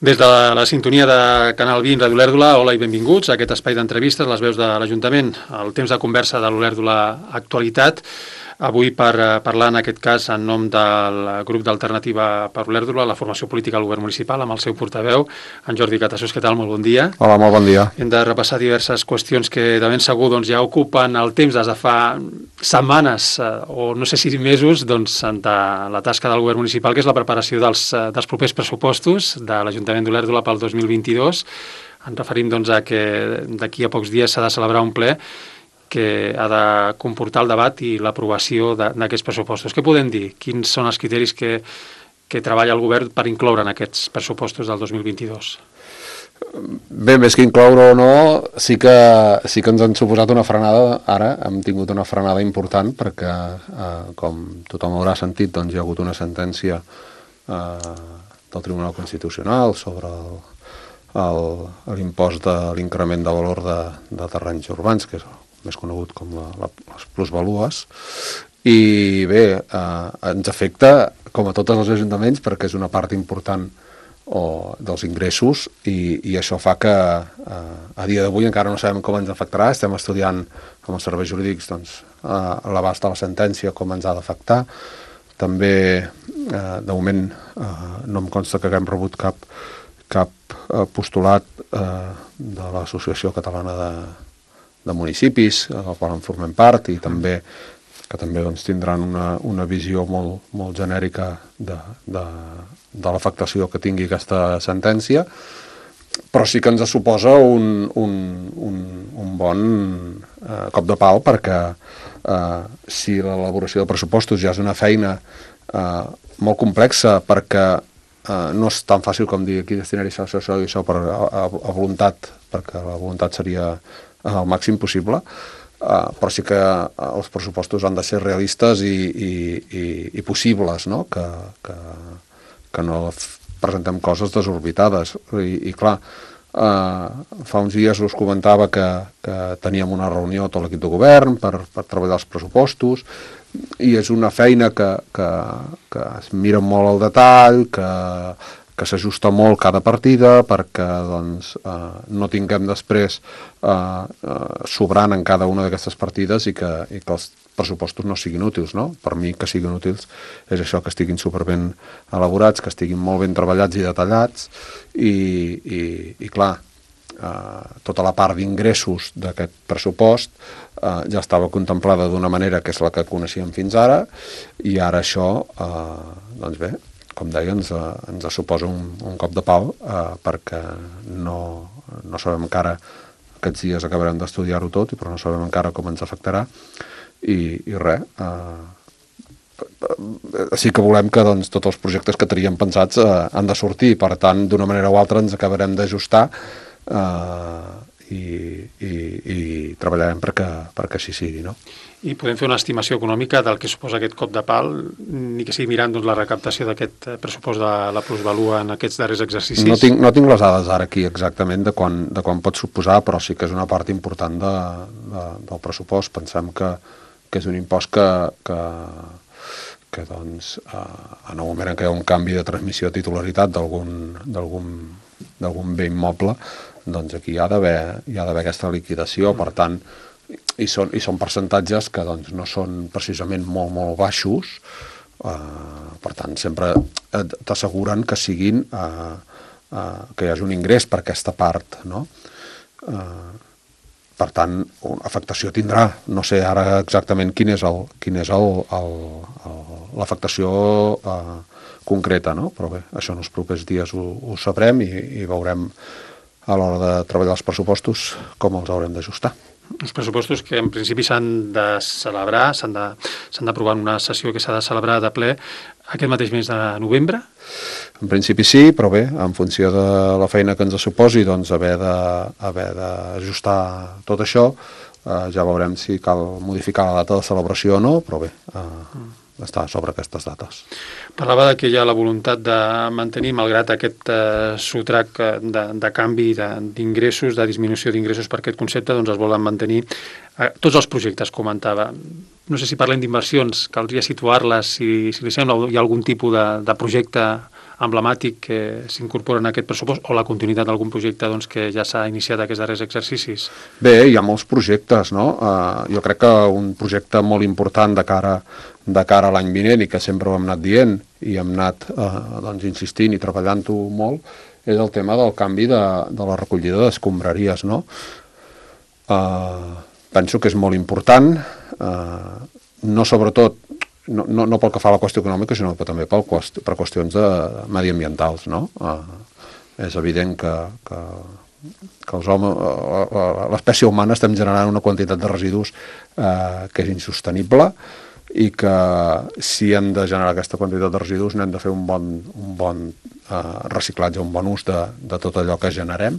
Des de la sintonia de Canal 20 Ràdio Olèrdola, hola i benvinguts a aquest espai d'entrevistes, les veus de l'Ajuntament, el temps de conversa de l'Olèrdola Actualitat. Avui per parlar, en aquest cas, en nom del grup d'Alternativa per Olèrdola, la formació política del govern municipal, amb el seu portaveu, en Jordi Catassós. Què tal? Molt bon dia. Hola, molt bon dia. Hem de repassar diverses qüestions que de ben segur ja ocupen el temps des de fa setmanes o no sé si mesos de la tasca del govern municipal, que és la preparació dels propers pressupostos de l'Ajuntament d'Olèrdola pel 2022. Ens referim a que d'aquí a pocs dies s'ha de celebrar un ple que ha de comportar el debat i l'aprovació d'aquests pressupostos. Què podem dir? Quins són els criteris que treballa el govern per incloure en aquests pressupostos del 2022? Bé, més que incloure o no, sí que ens han suposat una frenada. Ara hem tingut una frenada important perquè, com tothom haurà sentit, hi ha hagut una sentència del Tribunal Constitucional sobre l'impost de l'increment de valor de terrenys urbans, que és més conegut com les plusvalues, i bé, ens afecta com a tots els ajuntaments perquè és una part important dels ingressos i això fa que a dia d'avui encara no sabem com ens afectarà. Estem estudiant amb els serveis jurídics l'abast de la sentència, com ens ha d'afectar. També, de moment, no em consta que haguem rebut cap postulat de l'Associació Catalana de Municipis, del qual en formem part, i també tindran una visió molt genèrica de l'afectació que tingui aquesta sentència, però sí que ens suposa un bon cop de pal, perquè si l'elaboració de pressupostos ja és una feina molt complexa, perquè no és tan fàcil com dir aquí destinar-hi això i això a voluntat, perquè la voluntat seria al màxim possible, però sí que els pressupostos han de ser realistes i possibles, no? Que no presentem coses desorbitades. I clar, fa uns dies us comentava que teníem una reunió tot l'equip de govern per treballar els pressupostos, i és una feina que es mira molt al detall, que s'ajusta molt cada partida perquè no tinguem després sobrant en cada una d'aquestes partides i que els pressupostos no siguin útils, no? Per mi, que siguin útils és això, que estiguin superben elaborats, que estiguin molt ben treballats i detallats, i clar, tota la part d'ingressos d'aquest pressupost ja estava contemplada d'una manera que és la que coneixíem fins ara, i ara això, doncs bé, com deia, ens suposa un cop de pal, perquè no sabem encara, aquests dies acabarem d'estudiar-ho tot, però no sabem encara com ens afectarà, i res. Sí que volem que tots els projectes que teníem pensats han de sortir, per tant, d'una manera o altra ens acabarem d'ajustar i treballarem perquè així sigui, no? I podem fer una estimació econòmica del que suposa aquest cop de pal, ni que sigui mirant la recaptació d'aquest pressupost de la plusvalua en aquests darrers exercicis? No tinc les dades ara aquí exactament de quan pot suposar, però sí que és una part important del pressupost. Pensem que és un impost que en el moment en què hi ha un canvi de transmissió de titularitat d'algun bé immoble, doncs aquí hi ha d'haver aquesta liquidació. Per tant, i són percentatges que no són precisament molt baixos, per tant sempre t'asseguren que siguin que hi hagi un ingrés per aquesta part, no? Per tant, afectació tindrà. No sé ara exactament quin és l'afectació concreta, no? Però bé, això en els propers dies ho sabrem i veurem a l'hora de treballar els pressupostos com els haurem d'ajustar. Els pressupostos que en principi s'han de celebrar, s'han d'aprovar en una sessió que s'ha de celebrar de ple aquest mateix mes de novembre? En principi sí, però bé, en funció de la feina que ens suposi, doncs haver d'ajustar tot això, ja veurem si cal modificar la data de celebració o no, però bé, està sobre aquestes dates. Parlava que hi ha la voluntat de mantenir, malgrat aquest sotrac de canvi d'ingressos, de disminució d'ingressos per aquest concepte, doncs es volen mantenir tots els projectes, comentava. No sé si parlem d'inversions, caldria situar-les, si li sembla, hi ha algun tipus de projecte emblemàtic que s'incorpora en aquest pressupost o la continuïtat d'algun projecte doncs, que ja s'ha iniciat aquests darrers exercicis? Bé, hi ha molts projectes, no? Jo crec que un projecte molt important de cara a l'any vinent i que sempre ho hem anat dient i hem anat doncs, insistint i treballant-ho molt és el tema del canvi de la recollida d'escombraries, no? Penso que és molt important, no sobretot, no pel que fa a la qüestió econòmica, sinó també per qüestions mediambientals, no? És evident que l'espècie humana estem generant una quantitat de residus que és insostenible i que si hem de generar aquesta quantitat de residus n'hem de fer un bon reciclatge, un bon ús de tot allò que generem,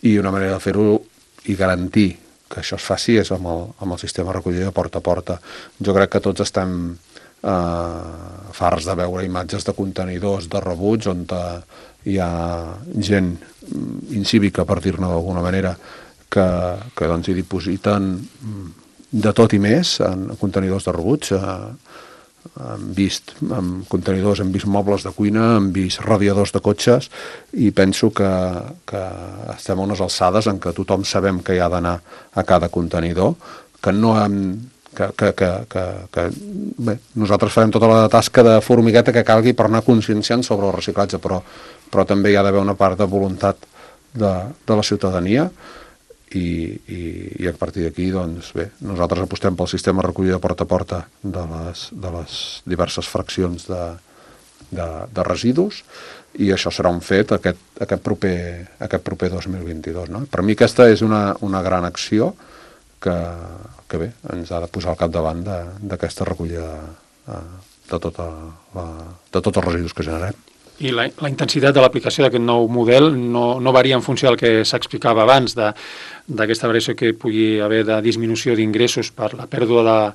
i una manera de fer-ho i garantir que això es faci és amb el sistema de recollida porta a porta. Jo crec que tots estem farts de veure imatges de contenidors de rebuig on hi ha gent incívica, per dir-ne d'alguna manera, que doncs hi dipositen de tot i més en contenidors de rebuig. Hem vist contenidors, hem vist mobles de cuina, hem vist radiadors de cotxes, i penso que estem a unes alçades en què tothom sabem que hi ha d'anar a cada contenidor, que no hem... Bé, nosaltres farem tota la tasca de formigueta que calgui per anar conscienciant sobre el reciclatge, però també hi ha d'haver una part de voluntat de la ciutadania, i a partir d'aquí, doncs bé, nosaltres apostem pel sistema de recollida porta a porta de les diverses fraccions de residus, i això serà un fet aquest proper 2022, no? Per mi aquesta és una gran acció que bé, ens ha de posar al capdavant d'aquesta recollida de tots els residus que generem. I la intensitat de l'aplicació d'aquest nou model no varia en funció del que s'explicava abans, d'aquesta variació que pugui haver de disminució d'ingressos per la pèrdua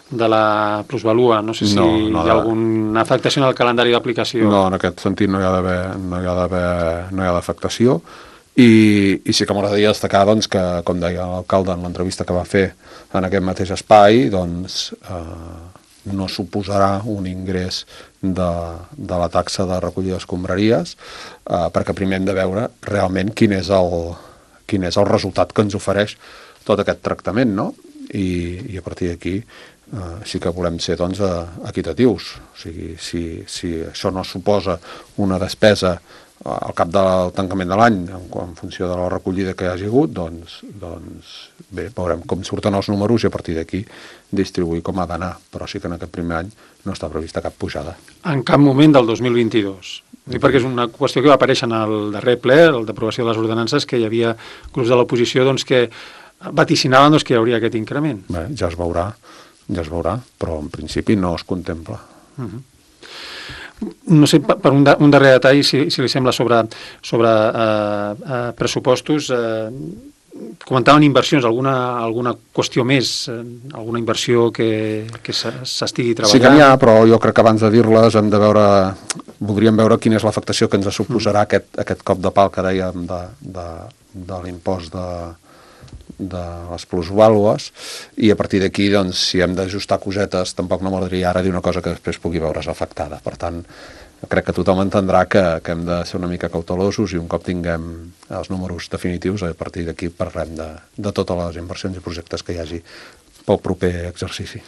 de la plusvalua. No sé si hi ha alguna afectació en el calendari d'aplicació. No, en aquest sentit no hi ha d'afectació, i sí que m'agradaria destacar doncs, que, com deia l'alcalde en l'entrevista que va fer en aquest mateix espai, doncs no suposarà un ingrés de la taxa de recollida d'escombraries, perquè primer hem de veure realment quin és el resultat que ens ofereix tot aquest tractament, no? I a partir d'aquí sí que volem ser doncs, equitatius. O sigui, si això no suposa una despesa al cap del tancament de l'any, en funció de la recollida que hi hagi hagut, doncs bé, veurem com surten els números i a partir d'aquí distribuir com ha d'anar, però sí que en aquest primer any no està prevista cap pujada. En cap moment del 2022. Perquè és una qüestió que va aparèixer en el darrer ple, el d'aprovació de les ordenances, que hi havia grups de l'oposició doncs, que vaticinaven que hi hauria aquest increment. Bé, ja es veurà, però en principi no es contempla. No sé, per un darrer detall, si li sembla, sobre pressupostos, comentaven inversions, alguna qüestió més, alguna inversió que s'estigui treballant? Sí que n'hi ha, però jo crec que abans de dir-les voldríem veure quina és l'afectació que ens suposarà aquest cop de pal que dèiem de l'impost de les plusvàlues, i a partir d'aquí, doncs, si hem d'ajustar cosetes, tampoc no m'agradaria ara dir una cosa que després pugui veure's afectada. Per tant, crec que tothom entendrà que hem de ser una mica cautelosos, i un cop tinguem els números definitius, a partir d'aquí parlem de totes les inversions i projectes que hi hagi pel proper exercici.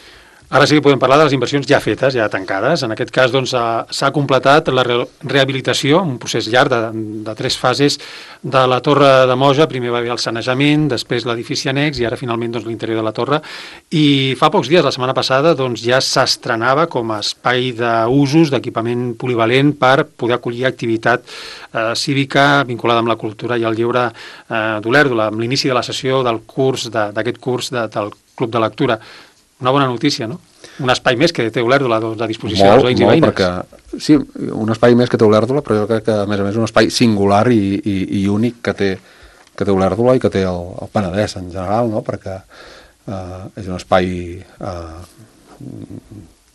Ara sí que podem parlar de les inversions ja fetes, ja tancades. En aquest cas doncs, s'ha completat la rehabilitació, un procés llarg de 3 fases de la Torre de Moja. Primer va haver el sanejament, després l'edifici annex i ara finalment doncs, l'interior de la torre. I fa pocs dies, la setmana passada, doncs, ja s'estrenava com a espai d'usos, d'equipament polivalent per poder acollir activitat cívica vinculada amb la cultura i el lleure d'Olèrdola, amb l'inici de la sessió d'aquest curs del Club de Lectura. Una bona notícia, no? Un espai més que té Olèrdola a disposició dels veïns i veïnes. Perquè, sí, un espai més que té Olèrdola, però jo crec que, a més, un espai singular i únic que té Olèrdola i que té el Penedès en general, no? Perquè és un espai...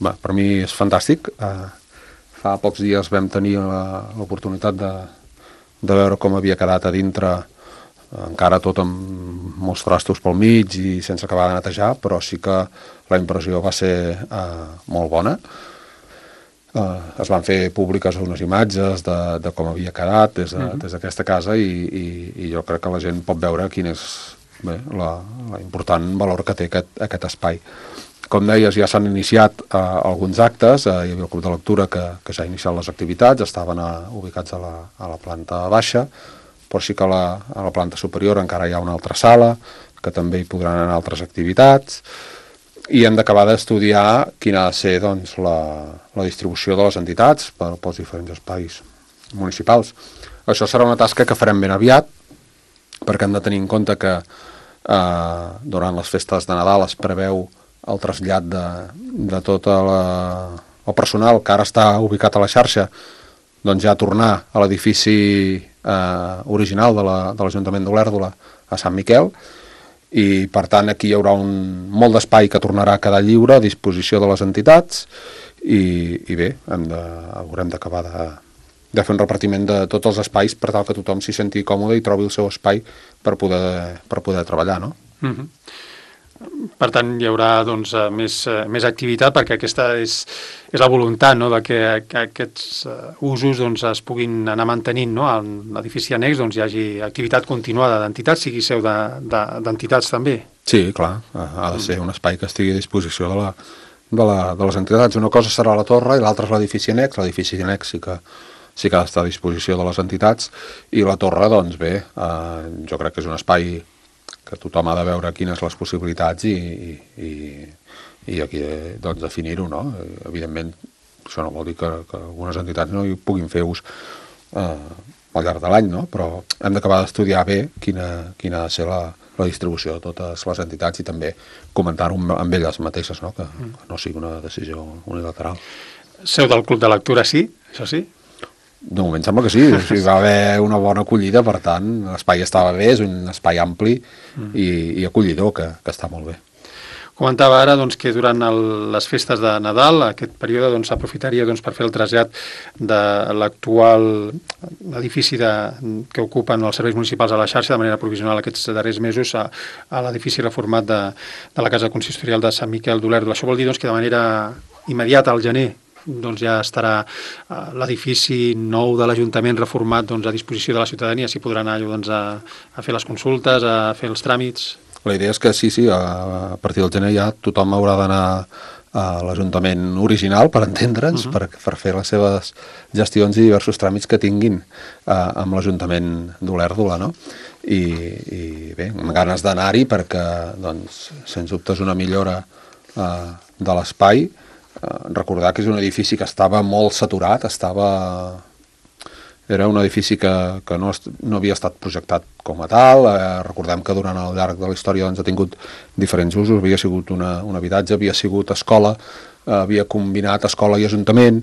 per mi és fantàstic. Fa pocs dies vam tenir l'oportunitat de veure com havia quedat a dintre, encara tot amb molts trastos pel mig i sense acabar de netejar, però sí que la impressió va ser molt bona. Es van fer públiques unes imatges de com havia quedat des d'aquesta casa i jo crec que la gent pot veure quin és l'important valor que té aquest espai. Com deies, ja s'han iniciat alguns actes, hi havia el club de lectura que ja ha iniciat les activitats, estaven ubicats a la planta baixa, però sí que a la planta superior encara hi ha una altra sala, que també hi podran anar altres activitats, i hem d'acabar d'estudiar quina ha de ser doncs, la distribució de les entitats pels diferents espais municipals. Això serà una tasca que farem ben aviat, perquè hem de tenir en compte que durant les festes de Nadal es preveu el trasllat de tot el personal que ara està ubicat a la xarxa, doncs ja tornar a l'edifici original de l'Ajuntament d'Olèrdola a Sant Miquel, i per tant aquí hi haurà molt d'espai que tornarà a quedar lliure a disposició de les entitats i bé, haurem d'acabar de fer un repartiment de tots els espais per tal que tothom s'hi senti còmode i trobi el seu espai per poder treballar, no? Per tant, hi haurà doncs, més activitat, perquè aquesta és la voluntat, no?, de que aquests usos doncs, es puguin anar mantenint, no?, en l'edifici annex doncs, hi hagi activitat continuada d'entitats, sigui seu d'entitats també. Sí, clar, ha de ser un espai que estigui a disposició de les entitats. Una cosa serà la torre i l'altra és l'edifici annex. L'edifici annex sí que ha d'estar a disposició de les entitats, i la torre, doncs bé, jo crec que és un espai que tothom ha de veure quines les possibilitats i aquí doncs, definir-ho, no? Evidentment, això no vol dir que algunes entitats no hi puguin fer ús al llarg de l'any, no? Però hem d'acabar d'estudiar bé quina ha de ser la distribució de totes les entitats i també comentar-ho amb elles mateixes, no? Que no sigui una decisió unilateral. Seu del Club de Lectura, sí? Això sí? De moment sembla que sí, va haver una bona acollida, per tant, l'espai estava bé, és un espai ampli i acollidor, que està molt bé. Comentava ara doncs, que durant les festes de Nadal, aquest període s'aprofitaria per fer el trasllat de l'actual edifici que ocupen els serveis municipals a la xarxa de manera provisional aquests darrers mesos a l'edifici reformat de la Casa Consistorial de Sant Miquel d'Olèrdola. Això vol dir que de manera immediata, al gener, ja estarà l'edifici nou de l'Ajuntament reformat a disposició de la ciutadania, s'hi podrà anar a fer les consultes, a fer els tràmits. La idea és que sí, a partir del gener ja tothom haurà d'anar a l'Ajuntament original, per entendre'ns, per fer les seves gestions i diversos tràmits que tinguin amb l'Ajuntament d'Olèrdola, no? I bé, amb ganes d'anar-hi perquè, doncs, sens dubte és una millora de l'espai. Recordar que és un edifici que estava molt saturat, era un edifici que no havia estat projectat com a tal. Recordem que durant el llarg de la història ha tingut diferents usos, havia sigut un habitatge, havia sigut escola, havia combinat escola i ajuntament,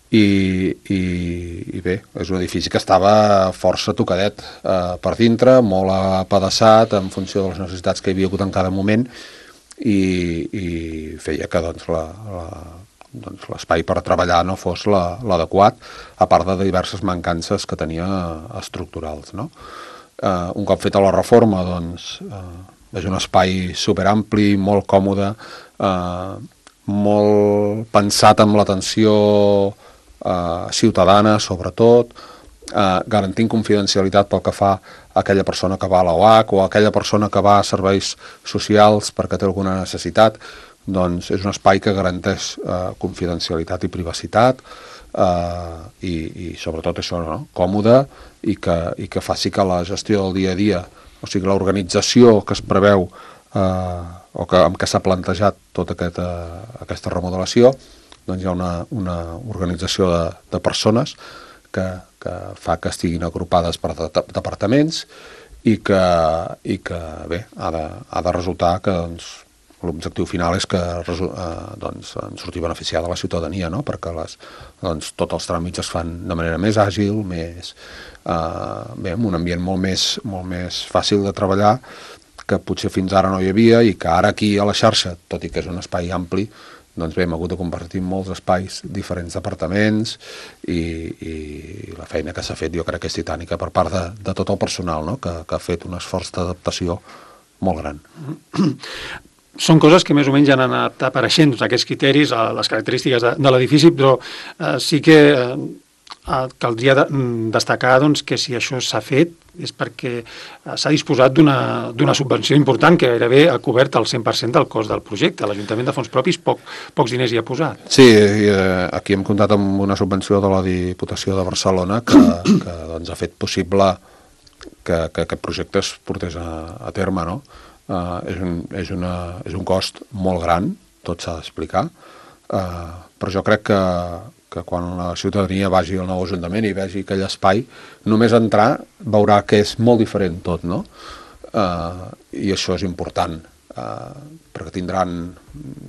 i bé, és un edifici que estava força tocadet per dintre, molt apedaçat en funció de les necessitats que hi havia hagut en cada moment, i feia que l'espai per treballar no fos l'adequat, a part de diverses mancances que tenia estructurals, no? Un cop feta la reforma, és un espai superampli, molt còmode, molt pensat amb l'atenció ciutadana, sobretot, garantint confidencialitat pel que fa a aquella persona que va a l'OAC o a aquella persona que va a serveis socials perquè té alguna necessitat. Doncs és un espai que garanteix confidencialitat i privacitat i sobretot això, no? Còmode, i que faci que la gestió del dia a dia, o sigui, l'organització que es preveu o amb què s'ha plantejat tota aquesta remodelació, doncs hi ha una organització de persones que fa que estiguin agrupades per departaments i que bé, ha de resultar que l'objectiu final és que en surti beneficiada la ciutadania, no? Perquè tots els tràmits es fan de manera més àgil, amb un ambient molt més fàcil de treballar, que potser fins ara no hi havia, i que ara aquí a la xarxa, tot i que és un espai ampli, doncs bé, hem hagut de compartir molts espais, diferents departaments, i la feina que s'ha fet jo crec que és titànica per part de tot el personal, no? Que ha fet un esforç d'adaptació molt gran. són coses que més o menys han anat apareixent, doncs, aquests criteris, les característiques de l'edifici, però sí que caldria destacar doncs, que si això s'ha fet és perquè s'ha disposat d'una subvenció important que gairebé ha cobert el 100% del cost del projecte. L'Ajuntament de fons propis pocs diners hi ha posat. Sí, aquí hem comptat amb una subvenció de la Diputació de Barcelona que doncs, ha fet possible que aquest projecte es portés a terme, no? És un cost molt gran, tot s'ha d'explicar, però jo crec que quan la ciutadania vagi al nou Ajuntament i vegi aquell espai, només entrar veurà que és molt diferent tot, no? I això és important, perquè tindran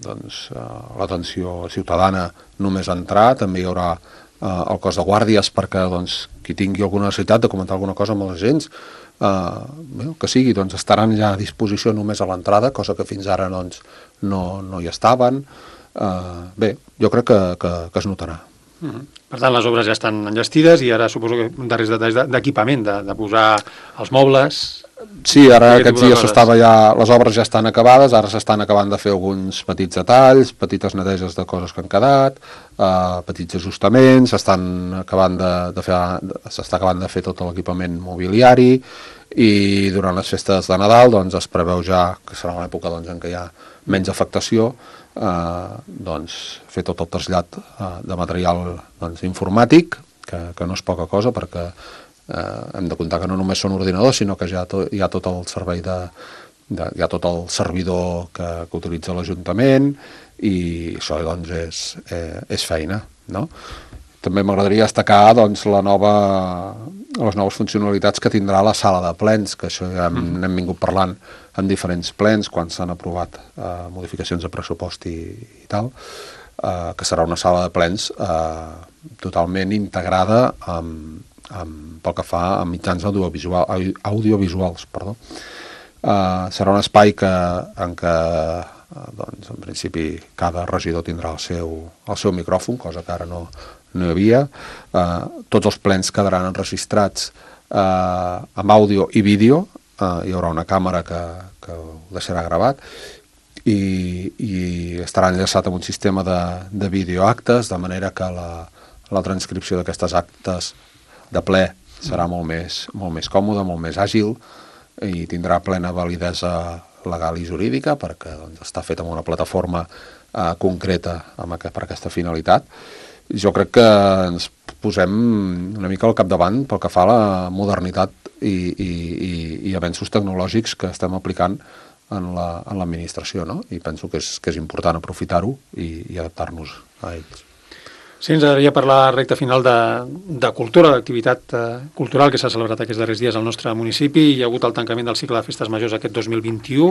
doncs, l'atenció ciutadana només entrar, també hi haurà el cos de guàrdies perquè doncs, qui tingui alguna necessitat de comentar alguna cosa amb els agents, que sigui, doncs estaran ja a disposició només a l'entrada, cosa que fins ara doncs, no hi estaven. Bé, jo crec que es notarà. Per tant, les obres ja estan enllestides i ara suposo que darrers detalls d'equipament, de posar els mobles... Sí, ara aquests dies les obres ja estan acabades, ara s'estan acabant de fer alguns petits detalls, petites neteges de coses que han quedat, petits ajustaments, s'està acabant de fer tot l'equipament mobiliari i durant les festes de Nadal doncs, es preveu ja, que serà l'època doncs, en què hi ha menys afectació, doncs, fer tot el trasllat de material doncs, informàtic, que no és poca cosa perquè hem de comptar que no només són ordinadors, sinó que ja hi ha tot el servei hi ha tot el servidor que utilitza l'Ajuntament i això doncs, és feina, no? També m'agradaria destacar doncs, les noves funcionalitats que tindrà la sala de plens, que això ja n'hem vingut parlant en diferents plens quan s'han aprovat modificacions de pressupost i tal, que serà una sala de plens totalment integrada pel que fa a mitjans audiovisuals. Serà un espai en què doncs, en principi cada regidor tindrà el seu micròfon, cosa que ara no hi havia. Tots els plens quedaran enregistrats amb àudio i vídeo, hi haurà una càmera que ho deixarà gravat i estarà enllaçat amb un sistema de videoactes, de manera que la transcripció d'aquestes actes de ple serà molt més còmode, molt més àgil i tindrà plena validesa legal i jurídica perquè doncs, està fet amb una plataforma concreta per aquesta finalitat. Jo crec que ens posem una mica al capdavant pel que fa a la modernitat i avenços tecnològics que estem aplicant en l'administració, no? I penso que és important aprofitar-ho i adaptar-nos a ells. Sí, ens agradaria parlar recta final de cultura, d'activitat cultural que s'ha celebrat aquests darrers dies al nostre municipi. Hi ha hagut el tancament del cicle de festes majors aquest 2021,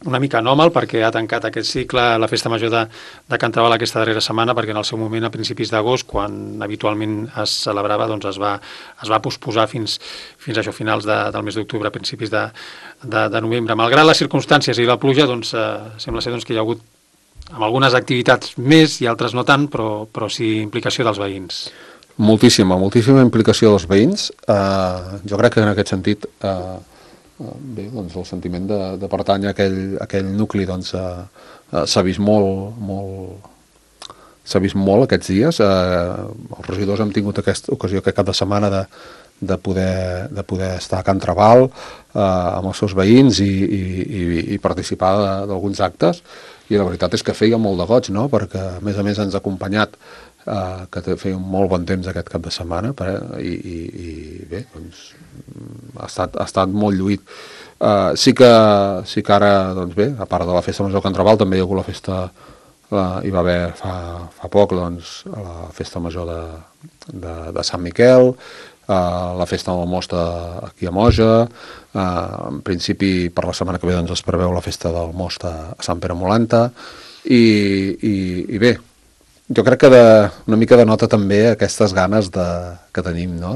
una mica anòmal perquè ha tancat aquest cicle la festa major de Can Trabal aquesta darrera setmana, perquè en el seu moment, a principis d'agost, quan habitualment es celebrava, doncs es va posposar fins a això, finals del mes d'octubre, a principis de novembre. Malgrat les circumstàncies i la pluja, doncs, sembla ser que hi ha hagut amb algunes activitats més i altres no tant, però sí implicació dels veïns. Moltíssima implicació dels veïns. Jo crec que en aquest sentit bé, doncs el sentiment de pertànyer a aquell nucli doncs, s'ha vist molt aquests dies. Els regidors hem tingut aquesta ocasió aquest cap de setmana de poder estar a Can Trabal amb els seus veïns i participar d'alguns actes, i la veritat és que feia molt de goig, no? Perquè a més ens ha acompanyat que feia un molt bon temps aquest cap de setmana i bé, doncs ha estat molt lluït. Sí que ara, doncs bé, a part de la festa major de Can Trabal, també hi ha hagut la festa, hi va haver fa poc doncs, la festa major de Sant Miquel, la festa del most aquí a Moja, en principi per la setmana que ve doncs, es preveu la festa del most a Sant Pere Molanta i bé, jo crec que una mica denota també aquestes ganes que tenim, no?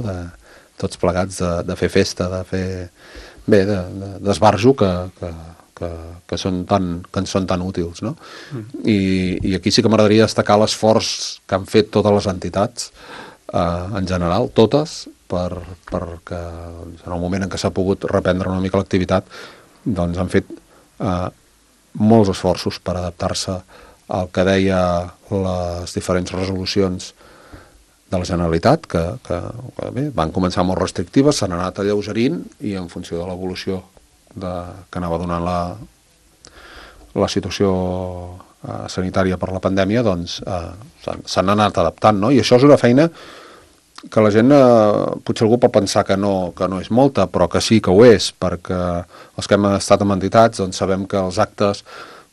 Tots plegats de fer festa, de fer bé, d'esbarjo que ens són tan útils, no? I aquí sí que m'agradaria destacar l'esforç que han fet totes les entitats en general, totes, perquè doncs, en el moment en què s'ha pogut reprendre una mica l'activitat, doncs han fet molts esforços per adaptar-se al que deia les diferents resolucions de la Generalitat, que bé, van començar molt restrictives, s'han anat alleugerint i en funció de l'evolució que anava donant la situació sanitària per la pandèmia, doncs s'han anat adaptant, no? I això és una feina que la gent, potser algú pot pensar que no és molta, però que sí que ho és, perquè els que hem estat en entitats doncs sabem que els actes,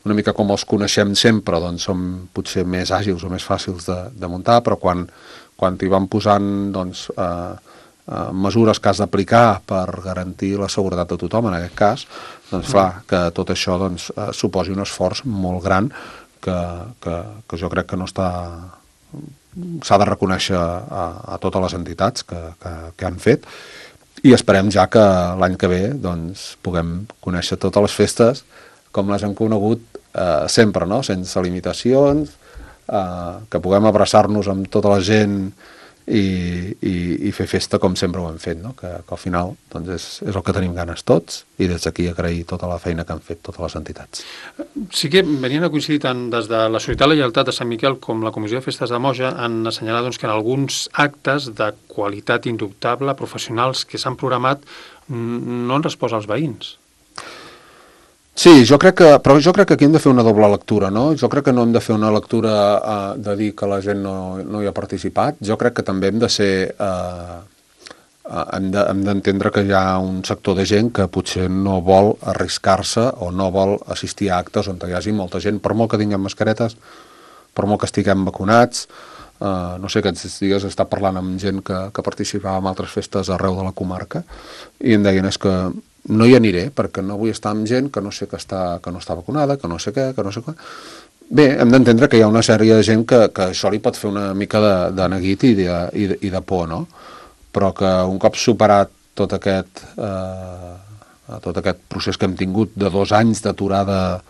una mica com els coneixem sempre, doncs són potser més àgils o més fàcils de muntar, però quan t'hi van posant doncs, mesures que has d'aplicar per garantir la seguretat de tothom, en aquest cas, doncs clar, que tot això doncs, suposi un esforç molt gran que jo crec que no s'ha de reconèixer a totes les entitats que han fet, i esperem ja que l'any que ve doncs, puguem conèixer totes les festes com les hem conegut sempre, no? Sense limitacions, que puguem abraçar-nos amb tota la gent i fer festa com sempre ho hem fet, no? Que al final doncs és el que tenim ganes tots, i des d'aquí agrair tota la feina que han fet totes les entitats. Sí que venien a coincidir tant des de la Solidaritat i la Lleialtat de Sant Miquel com la Comissió de Festes de Moja han assenyalat doncs, que en alguns actes de qualitat indubtable, professionals que s'han programat, no han respost als veïns. Sí, però jo crec que aquí hem de fer una doble lectura, no? Jo crec que no hem de fer una lectura de dir que la gent no hi ha participat. Jo crec que també hem de ser... hem d'entendre que hi ha un sector de gent que potser no vol arriscar-se o no vol assistir a actes on hi hagi molta gent, per molt que tinguem mascaretes, per molt que estiguem vacunats. No sé, aquests dies he estat parlant amb gent que participava en altres festes arreu de la comarca i em deien és que no hi aniré perquè no vull estar amb gent que no sé que no està vacunada, que no sé què, que no sé què. Bé, hem d'entendre que hi ha una sèrie de gent que això li pot fer una mica de neguit i de por, no? Però que un cop superat tot aquest procés que hem tingut de 2 anys d'aturada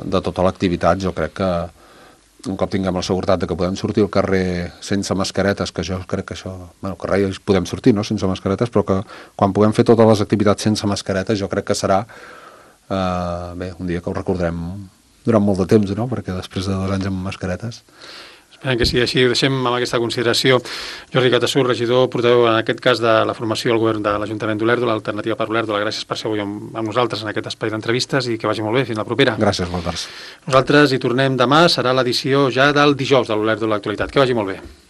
de tota l'activitat, jo crec que un cop tinguem la seguretat de que podem sortir al carrer sense mascaretes, que jo crec que això... Bueno, al carrer podem sortir, no?, sense mascaretes, però que quan puguem fer totes les activitats sense mascaretes, jo crec que serà bé, un dia que ho recordarem durant molt de temps, no?, perquè després de 2 anys amb mascaretes... Esperem que sigui així. Ho deixem amb aquesta consideració. Jordi Catassur, regidor, portaveu en aquest cas de la formació al govern de l'Ajuntament d'Olèrdola, l'Alternativa per Olèrdola. Gràcies per ser avui amb nosaltres en aquest espai d'entrevistes i que vagi molt bé. Fins la propera. Gràcies, moltes. Nosaltres hi tornem demà. Serà l'edició ja del dijous de l'Olèrdola Actualitat. Que vagi molt bé.